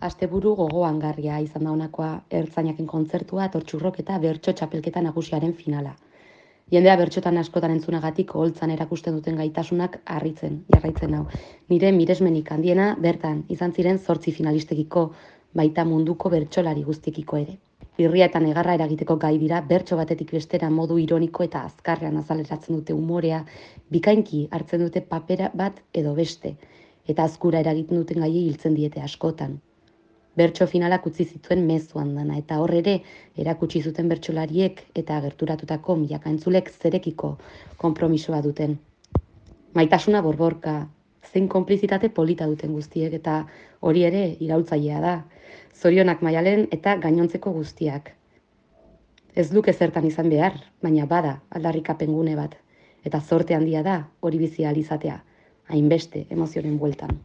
Asteburu gogoangarria izan da honakoa ertzainaken kontzertua, tortxurrok eta bertso txapelketa nagusiaren finala. Jendea bertxotan askotan entzunagatik oholtzan erakusten duten gaitasunak harritzen, jarraitzen nau. Nire miresmenik handiena bertan izan ziren 8 finalistekiko, baita munduko bertsolari guztikiko ere. Irria eta negarra eragiteko gai dira bertso batetik bestera modu ironiko eta azkarrean azaleratzen dute umorea, bikainki hartzen dute papera bat edo beste, eta azkura eragiten duten gaiei hiltzen diete askotan. Bertso finalak utzi zituen mezu andana, eta hor ere erakutsi zuten bertsolariek eta gerturatutako milaka entzulek zerekiko konpromisoa duten. Maitasuna borborka, zein konplizitate polita duten guztiek, eta hori ere iraultzailea da. Zorionak Maialen eta gainontzeko guztiak. Ez luke zertan izan behar, baina bada aldarrikapen gune bat, eta zorte handia da hori bizi ahal izatea, hainbeste emozionen bueltan.